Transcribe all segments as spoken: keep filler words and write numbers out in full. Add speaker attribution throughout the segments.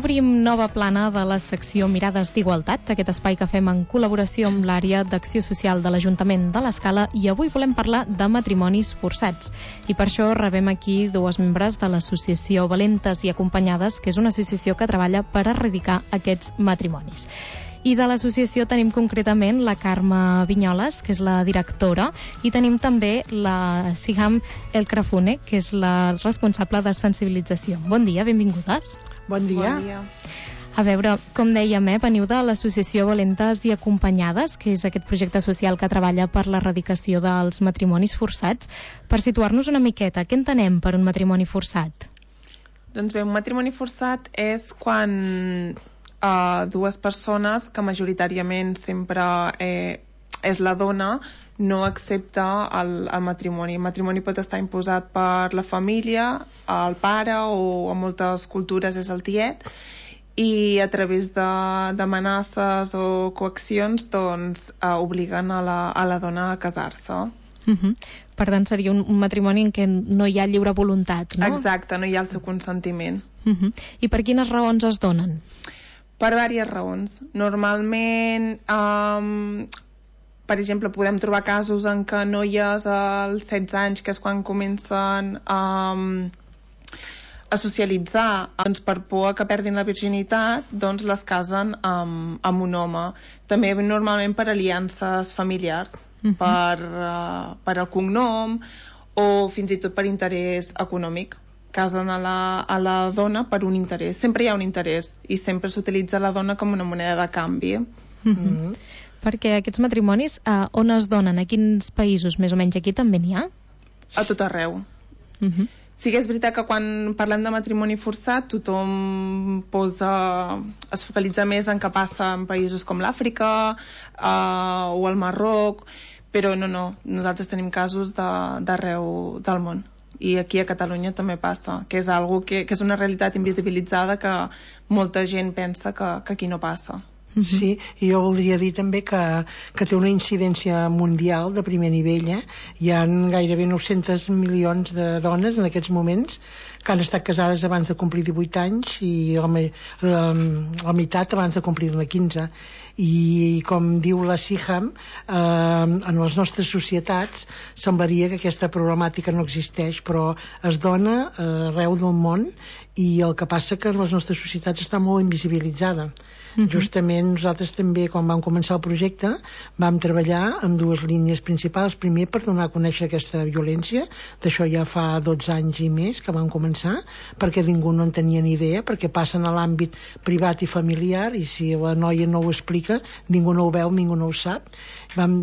Speaker 1: obrim nova plana de la secció Mirades d'Igualtat, aquest espai que fem en col·laboració amb l'àrea d'Acció Social de l'Ajuntament de l'Escala, i avui volem parlar de matrimonis forçats. I per això rebem aquí dues membres de l'associació Valentes i Acompanyades, que és una associació que treballa per erradicar aquests matrimonis. I de l'associació tenim concretament la Carme Vinyoles, que és la directora, i tenim també la Siham El Krafune, que és la responsable de sensibilització. Bon dia, benvingudes.
Speaker 2: Bon dia.
Speaker 3: Bon dia.
Speaker 1: A veure, com dèiem, eh, veniu de l'associació Valentes i Acompanyades, que és aquest projecte social que treballa per l'erradicació dels matrimonis forçats. Per situar-nos una miqueta, què entenem per un matrimoni forçat?
Speaker 3: Doncs bé, un matrimoni forçat és quan uh, dues persones, que majoritàriament sempre eh, és la dona, no accepta el, el matrimoni. El matrimoni pot estar imposat per la família, el pare, o en moltes cultures és el tiet, i a través d'amenaces o coaccions doncs, eh, obliguen a la, a la dona a casar-se.
Speaker 1: Uh-huh. Per tant, seria un, un matrimoni en què no hi ha lliure voluntat, no?
Speaker 3: Exacte, no hi ha el seu consentiment.
Speaker 1: Uh-huh. I per quines raons es donen?
Speaker 3: Per diverses raons. Normalment... Um, Per exemple, podem trobar casos en què noies als setze anys, que és quan comencen um, a socialitzar, doncs per por que perdin la virginitat, doncs les casen amb, amb un home. També normalment per aliances familiars, uh-huh. per, uh, per el cognom o fins i tot per interès econòmic. Casen a la, a la dona per un interès. Sempre hi ha un interès i sempre s'utilitza la dona com una moneda de canvi.
Speaker 1: Uh-huh. Uh-huh. Perquè aquests matrimonis, eh, on es donen? A quins països, més o menys? Aquí també n'hi ha?
Speaker 3: A tot arreu.
Speaker 1: Uh-huh.
Speaker 3: Sí que és veritat que quan parlem de matrimoni forçat tothom posa, es focalitza més en què passa en països com l'Àfrica eh, o el Marroc, però no, no, nosaltres tenim casos d'arreu de, del món. I aquí a Catalunya també passa, que és, algo que, que és una realitat invisibilitzada que molta gent pensa que, que aquí no passa.
Speaker 2: Uh-huh. Sí, i jo voldria dir també que, que té una incidència mundial de primer nivell. Eh? Hi ha gairebé nou-cents milions de dones en aquests moments que han estat casades abans de complir divuit anys i la, la, la meitat abans de complir-ne quinze. I com diu la Siham, eh, en les nostres societats semblaria que aquesta problemàtica no existeix, però es dona eh, arreu del món, i el que passa que en les nostres societats està molt invisibilitzada. Uh-huh. Justament nosaltres també, quan vam començar el projecte, vam treballar amb dues línies principals. Primer, per donar a conèixer aquesta violència, d'això ja fa dotze anys i més que vam començar, perquè ningú no en tenia ni idea, perquè passen a l'àmbit privat i familiar, i si la noia no ho explica, ningú no ho veu, ningú no ho sap. Vam,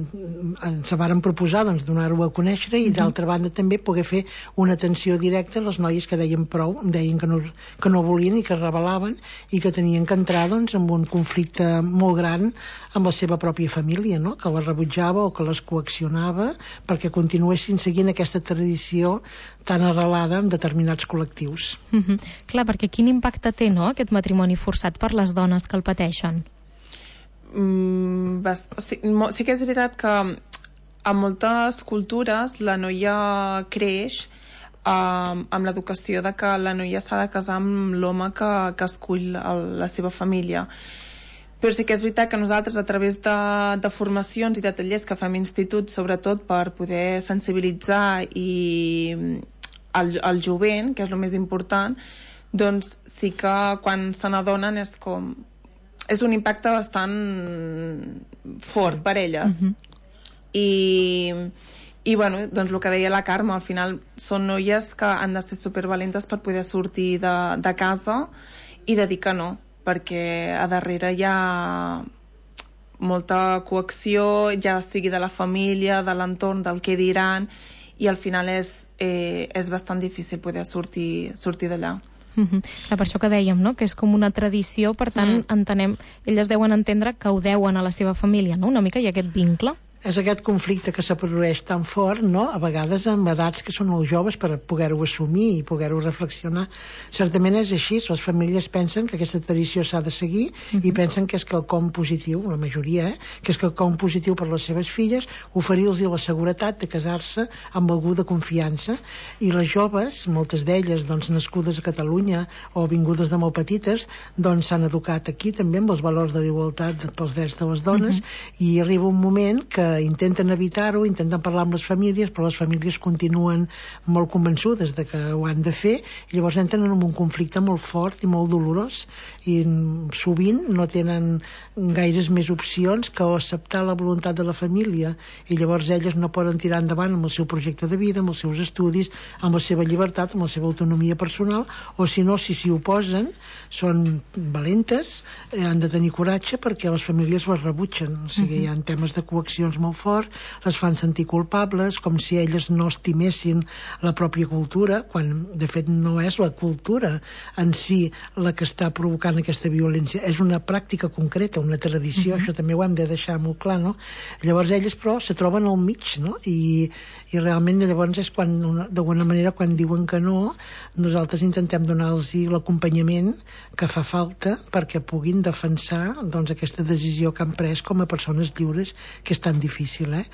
Speaker 2: ens vàrem proposar doncs, donar-ho a conèixer, i d'altra banda també poder fer una atenció directa a les noies que deien prou, deien que no, que no volien i que es rebel·laven i que tenien que entrar doncs, amb un conflicte molt gran amb la seva pròpia família, no? Que les rebutjava o que les coaccionava perquè continuessin seguint aquesta tradició tan arrelada en determinats col·lectius.
Speaker 1: Uh-huh. Clar, perquè quin impacte té, no?, aquest matrimoni forçat per les dones que el pateixen?
Speaker 3: Mm, bast... sí, sí que és veritat que a moltes cultures la noia creix uh, amb l'educació de que la noia s'ha de casar amb l'home que, que escull el, la seva família. Però sí que és veritat que nosaltres, a través de, de formacions i de tallers que fem instituts, sobretot per poder sensibilitzar i el, el jovent, que és el més important, doncs sí que quan se n'adonen és com... és un impacte bastant fort per elles. Uh-huh. I, i bueno, doncs el que deia la Carme, al final són noies que han de ser supervalentes per poder sortir de, de casa i de dir que no, perquè a darrere hi ha molta coacció, ja sigui de la família, de l'entorn, del que diran, i al final és, eh, és bastant difícil poder sortir, sortir d'allà.
Speaker 1: Uh-huh. Clar, per això que dèiem, no?, que és com una tradició, per tant, mm. entenem, elles deuen entendre que ho deuen a la seva família, no?, una mica, hi ha aquest vincle.
Speaker 2: És aquest conflicte que se produeix tan fort, no? A vegades amb edats que són molt joves per poder-ho assumir i poder-ho reflexionar. Certament és així, les famílies pensen que aquesta tradició s'ha de seguir uh-huh. i pensen que és quelcom positiu, la majoria, eh? que és quelcom positiu per les seves filles, oferir-los la seguretat de casar-se amb algú de confiança. I les joves, moltes d'elles doncs, nascudes a Catalunya o vingudes de molt petites, doncs s'han educat aquí també amb els valors de l'igualtat pels drets de les dones uh-huh. i arriba un moment que intenten evitar-ho, intenten parlar amb les famílies, però les famílies continuen molt convençudes de que ho han de fer, i llavors entren en un conflicte molt fort i molt dolorós, i sovint no tenen gaires més opcions que acceptar la voluntat de la família, i llavors elles no poden tirar endavant amb el seu projecte de vida, amb els seus estudis, amb la seva llibertat, amb la seva autonomia personal, o si no, si s'hi oposen, són valentes, eh, han de tenir coratge perquè les famílies les rebutgen, o sigui, uh-huh. hi ha temes de coaccions molt fort, les fan sentir culpables, com si elles no estimessin la pròpia cultura, quan de fet no és la cultura en si la que està provocant aquesta violència, és una pràctica concreta, una tradició, uh-huh. això també ho hem de deixar molt clar, no? Llavors elles però se troben al mig, no? I, i realment llavors és quan, d'alguna manera, quan diuen que no, nosaltres intentem donar-los l'acompanyament que fa falta perquè puguin defensar doncs, aquesta decisió que han pres com a persones lliures, que és tan difícil, eh?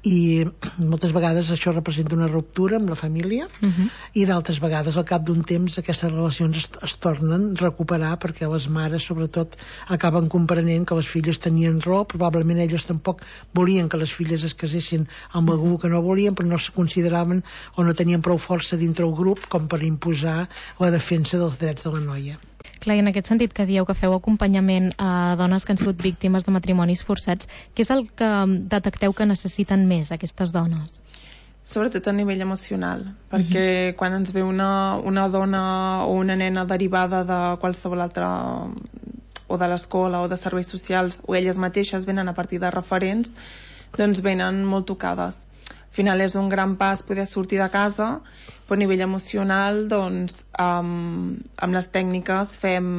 Speaker 2: I moltes vegades això representa una ruptura amb la família uh-huh. i d'altres vegades al cap d'un temps aquestes relacions es, es tornen a recuperar perquè les mares sobretot acaben comprenent que les filles tenien raó, probablement elles tampoc volien que les filles es casessin amb algú que no volien, però no se consideraven o no tenien prou força dintre el grup com per imposar la defensa dels drets de la noia.
Speaker 1: Clar, i en aquest sentit que dieu que feu acompanyament a dones que han sigut víctimes de matrimonis forçats, què és el que detecteu que necessiten més aquestes dones?
Speaker 3: Sobretot a nivell emocional, perquè uh-huh. quan ens ve una, una dona o una nena derivada de qualsevol altra, o de l'escola o de serveis socials, o elles mateixes venen a partir de referents, doncs venen molt tocades. Al final és un gran pas poder sortir de casa, però a nivell emocional, doncs, amb, amb les tècniques fem,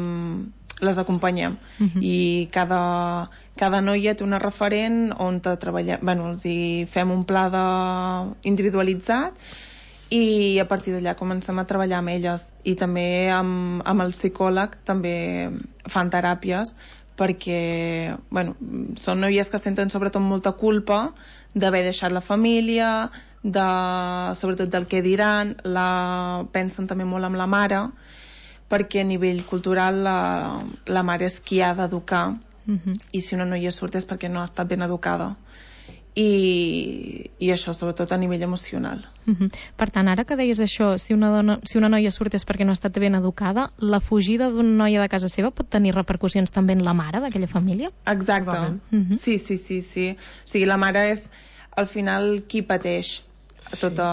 Speaker 3: les acompanyem. Uh-huh. I cada, cada noia té una referent on treballem, bueno, els hi fem un pla de, individualitzat, i a partir d'allà comencem a treballar amb elles. I també amb, amb el psicòleg també fan teràpies, perquè bueno, són noies que senten sobretot molta culpa d'haver deixat la família, de, sobretot del que diran, la, pensen també molt amb la mare, perquè a nivell cultural la, la mare és qui ha d'educar, uh-huh. i si una noia surt és perquè no ha estat ben educada. I, i això sobretot a nivell emocional.
Speaker 1: Uh-huh. Per tant, ara que deies això, si una, dona, si una noia surt és perquè no ha estat ben educada, la fugida d'una noia de casa seva pot tenir repercussions també en la mare d'aquella família?
Speaker 3: Exacte, uh-huh. sí, sí, sí, sí. O sigui, la mare és al final qui pateix tot a,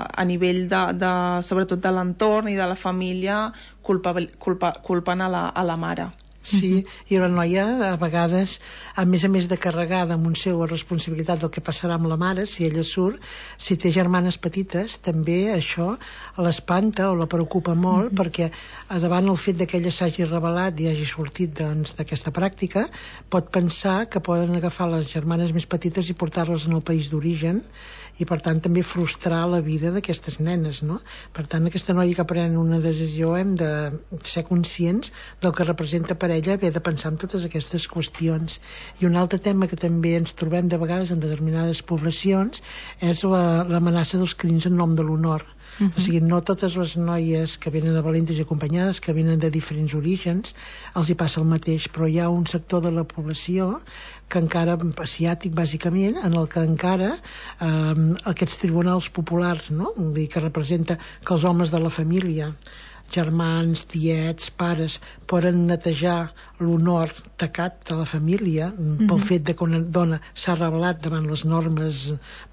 Speaker 3: a nivell de, de, sobretot de l'entorn i de la família, culpa, culpa, culpen a la, a la mare.
Speaker 2: Sí, i la noia a vegades, a més a més de carregada amb un seu responsabilitat del que passarà amb la mare, si ella surt, si té germanes petites, també això l'espanta o la preocupa molt, mm-hmm. perquè davant el fet que ella s'hagi revelat i hagi sortit doncs, d'aquesta pràctica, pot pensar que poden agafar les germanes més petites i portar-les en el país d'origen, i per tant també frustrar la vida d'aquestes nenes, no? Per tant, aquesta noia que pren una decisió hem de ser conscients del que representa per ella haver de pensar en totes aquestes qüestions. I un altre tema que també ens trobem de vegades en determinades poblacions és la, l'amenaça dels crims en nom de l'honor. Uh-huh. O sigui, no totes les noies que venen a valentes i acompanyades, que venen de diferents orígens, els hi passa el mateix, però hi ha un sector de la població que encara, asiàtic bàsicament, en el que encara eh, aquests tribunals populars, no? Vull dir, que representa que els homes de la família, germans, tiets, pares, poden netejar l'honor tacat de la família mm-hmm. pel fet de que una dona s'ha revelat davant les normes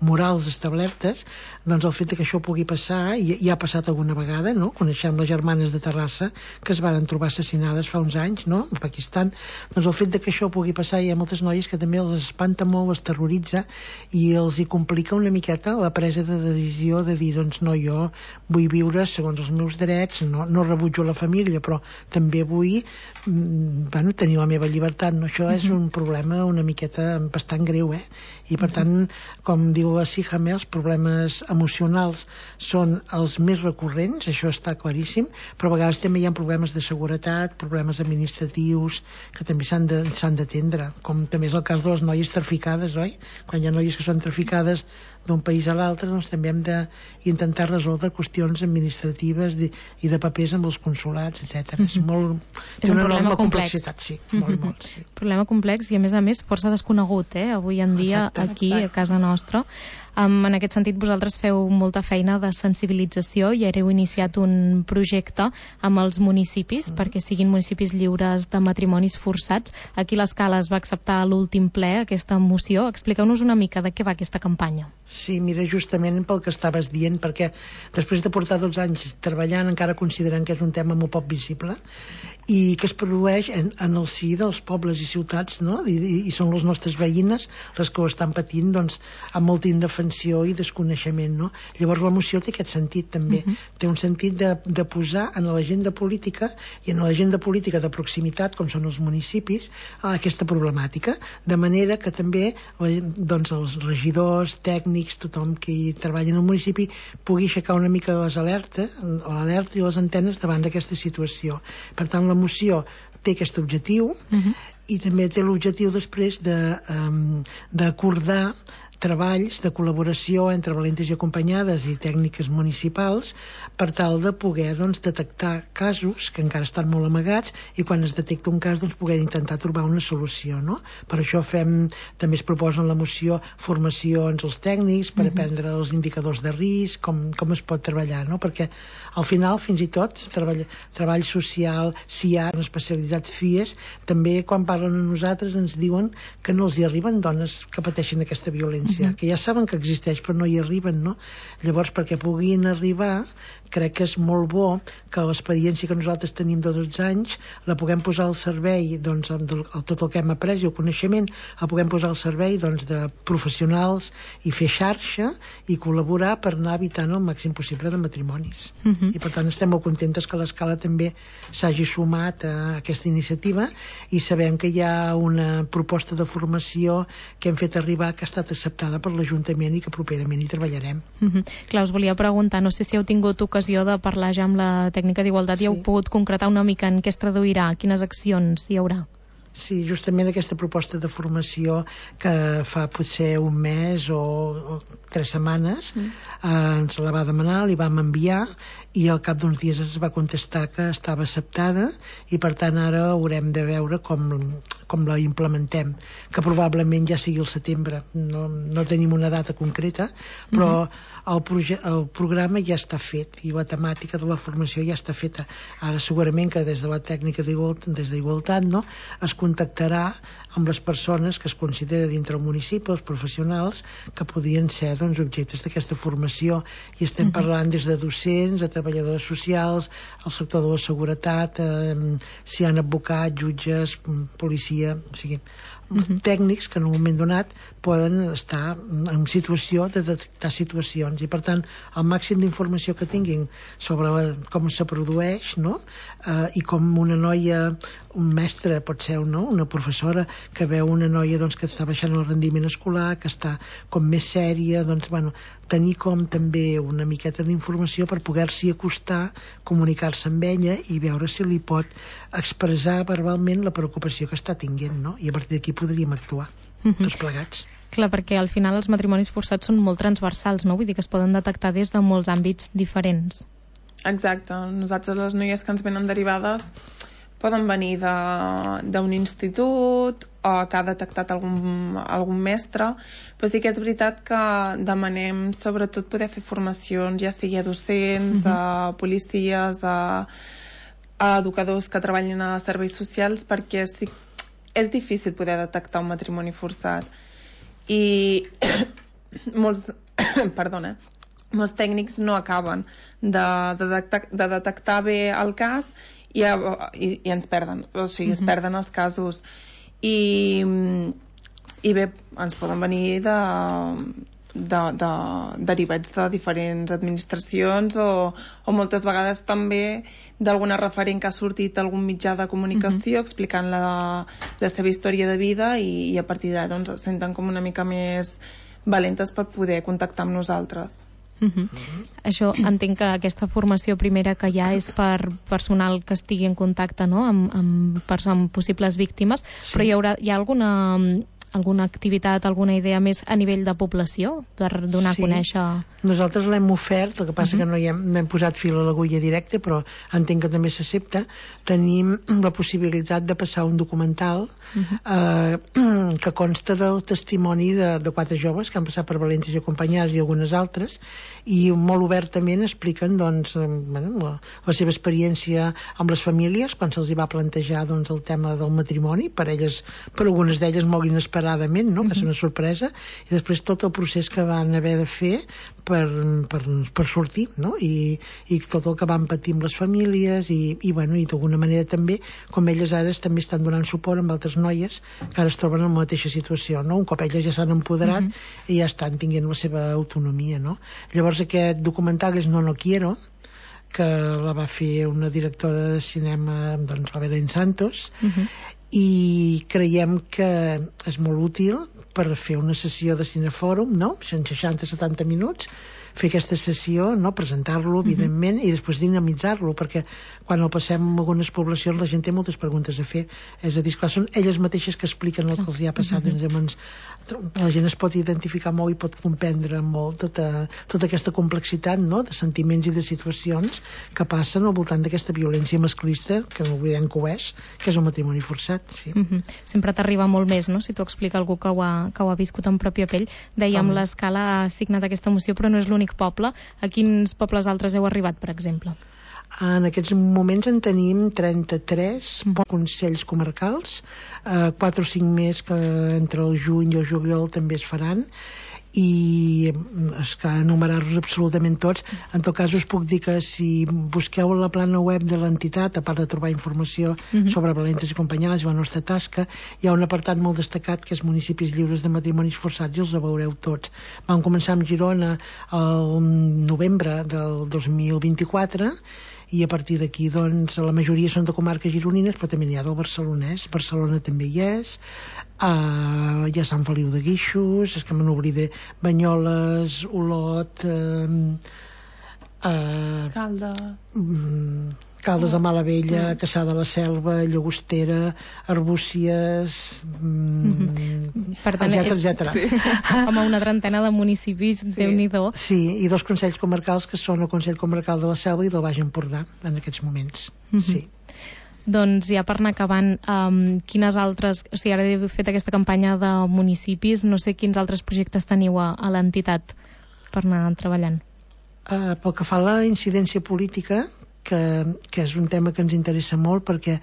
Speaker 2: morals establertes, doncs el fet de que això pugui passar, i, i ha passat alguna vegada, no? Coneixem les germanes de Terrassa que es van trobar assassinades fa uns anys, no? A Pakistan. Doncs el fet de que això pugui passar, hi ha moltes noies que també els espanta molt, els terroritza i els hi complica una miqueta la presa de decisió de dir, doncs no, jo vull viure segons els meus drets, no, no rebutjo la família, però també vull bueno, tenir la meva llibertat, no? Això és un problema una miqueta bastant greu, eh? I per tant, com diu la Sihame, els problemes emocionals són els més recurrents, això està claríssim, però a vegades també hi ha problemes de seguretat, problemes administratius, que també s'han de, s'han d'atendre, com també és el cas de les noies traficades, oi? Quan hi ha noies que són traficades d'un país a l'altre, doncs també hem d'intentar resoldre qüestions administratives de, i de papers amb els consulats, etcètera. Mm-hmm. És molt...
Speaker 1: És un problema complex.
Speaker 2: Sí, molt, mm-hmm. molt, sí.
Speaker 1: Problema complex i, a més a més, força desconegut, eh? Avui en dia, exacte, aquí, exacte. A casa nostra. Um, en aquest sentit, vosaltres feu molta feina de sensibilització i heu iniciat un projecte amb els municipis mm. perquè siguin municipis lliures de matrimonis forçats. Aquí l'Escala es va acceptar a l'últim ple aquesta moció. Expliqueu-nos una mica de què va aquesta campanya.
Speaker 2: Sí, mira, justament pel que estaves dient, perquè després de portar dotze anys treballant encara considerant que és un tema molt poc visible i que es produeix en, en el si dels pobles i ciutats, no? I, i, i són les nostres veïnes les que ho estan patint, doncs, amb molta indefensió i desconeixement, no? Llavors la moció té aquest sentit també, uh-huh. té un sentit de, de posar en l'agenda política i en l'agenda política de proximitat, com són els municipis, aquesta problemàtica, de manera que també doncs, els regidors, tècnics, tothom que hi treballa en el municipi pugui aixecar una mica les alertes, l'alerta i les antenes davant d'aquesta situació. Per tant, la moció té aquest objectiu uh-huh. i també té l'objectiu després de, um, d'acordar treballs de col·laboració entre valentes i acompanyades i tècniques municipals per tal de poder doncs, detectar casos que encara estan molt amagats i quan es detecta un cas doncs, poder intentar trobar una solució, no? Per això fem, també es proposa en la moció formacions als tècnics per uh-huh. aprendre els indicadors de risc, com, com es pot treballar, no? Perquè al final fins i tot treball, treball social, S I A, especialitzat F I E S, també quan parlen a nosaltres ens diuen que no els hi arriben dones que pateixen aquesta violència, uh-huh. que ja saben que existeix però no hi arriben, no? Llavors perquè puguin arribar crec que és molt bo que l'experiència que nosaltres tenim de dotze anys la puguem posar al servei doncs, amb tot el que hem après i el coneixement la puguem posar al servei doncs, de professionals i fer xarxa i col·laborar per anar evitant el màxim possible de matrimonis. Uh-huh. I per tant estem molt contentes que l'Escala també s'hagi sumat a aquesta iniciativa i sabem que hi ha una proposta de formació que hem fet arribar que ha estat acceptada per l'Ajuntament i que properament hi treballarem.
Speaker 1: Uh-huh. Clar, us volia preguntar, no sé si heu tingut ocasió de parlar ja amb la tècnica d'igualtat i sí. heu pogut concretar una mica en què es traduirà, quines accions hi haurà.
Speaker 2: Sí, justament aquesta proposta de formació que fa potser un mes o, o tres setmanes mm. eh, ens la va demanar, li vam enviar i al cap d'uns dies ens va contestar que estava acceptada i per tant ara haurem de veure com, com la implementem, que probablement ja sigui el setembre, no, no tenim una data concreta, però mm-hmm. el, proje- el programa ja està fet i la temàtica de la formació ja està feta. Ara segurament que des de la tècnica d'igualtat, des d'igualtat, no, es contactarà amb les persones que es considera dintre el municipi, els professionals, que podrien ser doncs, objectes d'aquesta formació. I estem uh-huh. parlant des de docents, a treballadors socials, al sector de la seguretat, eh, si hi ha advocats, jutges, policia, o sigui, uh-huh. tècnics que en un moment donat poden estar en situació de detectar situacions i per tant el màxim d'informació que tinguin sobre la, com se produeix, no? eh, i com una noia, un mestre pot ser no? una professora que veu una noia doncs, que està baixant el rendiment escolar, que està com més sèria, doncs bueno, tenir com també una miqueta d'informació per poder-s'hi acostar, comunicar-se amb ella i veure si li pot expressar verbalment la preocupació que està tinguent, no? I a partir d'aquí podríem actuar, uh-huh. tots plegats.
Speaker 1: Clar, perquè al final els matrimonis forçats són molt transversals, no? Vull dir que es poden detectar des de molts àmbits diferents.
Speaker 3: Exacte. Nosaltres les noies que ens venen derivades poden venir d'un institut o que ha detectat algun, algun mestre, però sí que és veritat que demanem sobretot poder fer formacions, ja sigui a docents, uh-huh. a policies, a, a educadors que treballin a serveis socials, perquè sí, és difícil poder detectar un matrimoni forçat. I molts, perdona, molts tècnics no acaben de, de, detectar, de detectar bé el cas i, i, i ens perden, o sigui, uh-huh. es perden els casos i, i bé, ens poden venir de, de, de, derivats de diferents administracions o, o moltes vegades també d'alguna referent que ha sortit a algun mitjà de comunicació uh-huh. explicant la, la seva història de vida i, i a partir d'ara doncs, es senten com una mica més valentes per poder contactar amb nosaltres.
Speaker 1: Uh -huh. Uh-huh. Això entenc que aquesta formació primera que hi ha és per personal que estigui en contacte, no?, amb, amb, amb possibles víctimes, sí. Però hi haurà hi ha alguna, alguna activitat, alguna idea més a nivell de població per donar sí. a conèixer?
Speaker 2: Nosaltres l'hem ofert, el que passa uh-huh. que no hi hem, no hem posat fil a l'agulla directa, però entenc que també s'accepta. Tenim la possibilitat de passar un documental uh-huh. eh, que consta del testimoni de, de quatre joves que han passat per Valentes i Acompanyades i algunes altres, i molt obertament expliquen doncs, bueno, la, la seva experiència amb les famílies quan se'ls hi va plantejar doncs, el tema del matrimoni, per elles, per algunes d'elles molt inesperadament, no? Uh-huh. Va ser una sorpresa, i després tot el procés que van haver de fer per, per, per sortir, no? I, i tot el que van patir amb les famílies i, i, bueno, i d'alguna manera també, com elles ara també estan donant suport amb altres noies que ara es troben en la mateixa situació, no? Un cop elles ja s'han empoderat uh-huh. i ja estan tinguent la seva autonomia, no? Llavors aquest documental és No No Quiero, que la va fer una directora de cinema, doncs, la Belén Santos, uh-huh. i creiem que és molt útil per fer una sessió de cinefòrum, no?, seixanta a setanta minuts, fer aquesta sessió, no?, presentar-lo, evidentment, uh-huh. i després dinamitzar-lo, perquè quan el passem en algunes poblacions la gent té moltes preguntes a fer. És a dir, esclar, són elles mateixes que expliquen el que els hi ha passat. Uh-huh. Llavors, la gent es pot identificar molt i pot comprendre molt tota, tota aquesta complexitat, no?, de sentiments i de situacions que passen al voltant d'aquesta violència masclista, que no oblidem que ho és, que és el matrimoni forçat. Sí.
Speaker 1: Uh-huh. Sempre t'arriba molt més, no?, si t'ho explica algú que ho ha, que ho ha viscut en pròpia pell. Dèiem, oh. l'Escala ha signat aquesta moció, però no és l'únic poble. A quins pobles altres heu arribat, per exemple?
Speaker 2: En aquests moments en tenim trenta-tres mm. consells comarcals, eh, quatre o cinc més que entre el juny i el juliol també es faran, i és que enumerar-los absolutament tots. En tot cas us puc dir que si busqueu la plana web de l'entitat, a part de trobar informació mm-hmm. sobre Valentes i Acompanyades i la nostra tasca, hi ha un apartat molt destacat que és municipis lliures de matrimonis forçats, i els veureu tots. Vam començar amb Girona el novembre del dos mil vint-i-quatre, i a partir d'aquí, doncs, la majoria són de comarques gironines, però també n'hi ha del barcelonès. Barcelona també hi és, uh, hi ha Sant Feliu de Guíxols, és que me n'oblidé, Banyoles, Olot, uh, uh,
Speaker 3: Calda...
Speaker 2: Um, Caldes de Malavella, Cassà de la Selva, Llagostera, Arbúcies, mm,
Speaker 1: per tant,
Speaker 2: etcètera, etcètera.
Speaker 1: Sí. Com una trentena de municipis, sí. Déu-n'hi-do.
Speaker 2: Sí, i dos consells comarcals que són el Consell Comarcal de la Selva i del Baix Empordà, en aquests moments. Mm-hmm. Sí.
Speaker 1: Doncs ja per anar acabant, um, quines altres... O sigui, ara heu fet aquesta campanya de municipis, no sé quins altres projectes teniu a, a l'entitat per anar treballant.
Speaker 2: Uh, pel que fa a la incidència política, Que, que és un tema que ens interessa molt, perquè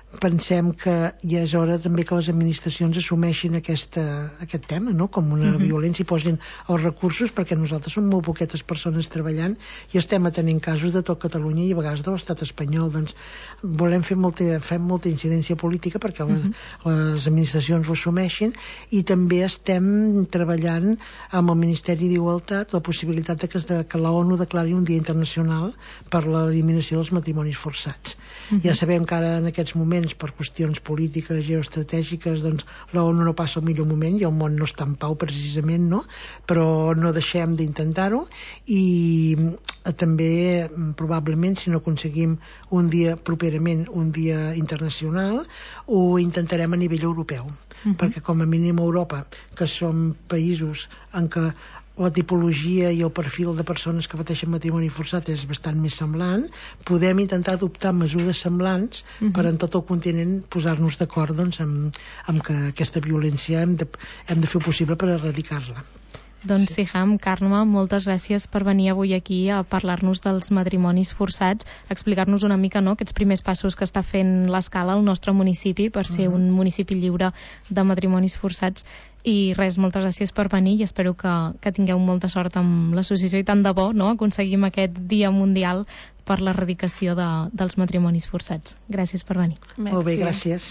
Speaker 2: pensem que ja és hora també que les administracions assumeixin aquesta, aquest tema, no?, com una uh-huh. violència, i posin els recursos, perquè nosaltres som molt poquetes persones treballant i estem atenent casos de tot Catalunya i a vegades de l'estat espanyol. Doncs volem fer molta, fem molta incidència política perquè uh-huh. les, les administracions ho assumeixin, i també estem treballant amb el Ministeri d'Igualtat la possibilitat de que, de, que la ONU declari un dia internacional per l'eliminació dels matrimonis forçats. Uh-huh. Ja sabem que ara en aquests moments, per qüestions polítiques, geoestratègiques, doncs la ONU no passa el millor moment i el món no està en pau precisament, no? Però no deixem d'intentar-ho, i també probablement, si no aconseguim un dia properament, un dia internacional, ho intentarem a nivell europeu, uh-huh. perquè com a mínim a Europa, que som països en què la tipologia i el perfil de persones que pateixen matrimoni forçat és bastant més semblant, podem intentar adoptar mesures semblants uh-huh. per en tot el continent posar-nos d'acord, doncs, amb, amb que aquesta violència hem de, hem de fer possible per erradicar-la.
Speaker 1: Doncs sí, Siham, Carme, moltes gràcies per venir avui aquí a parlar-nos dels matrimonis forçats, explicar-nos una mica, no?, aquests primers passos que està fent l'Escala al nostre municipi per ser uh-huh. un municipi lliure de matrimonis forçats. I res, moltes gràcies per venir i espero que, que tingueu molta sort amb l'associació, i tant de bo, no?, aconseguim aquest dia mundial per l'erradicació de, dels matrimonis forçats. Gràcies per venir.
Speaker 2: Merci. Molt bé, gràcies.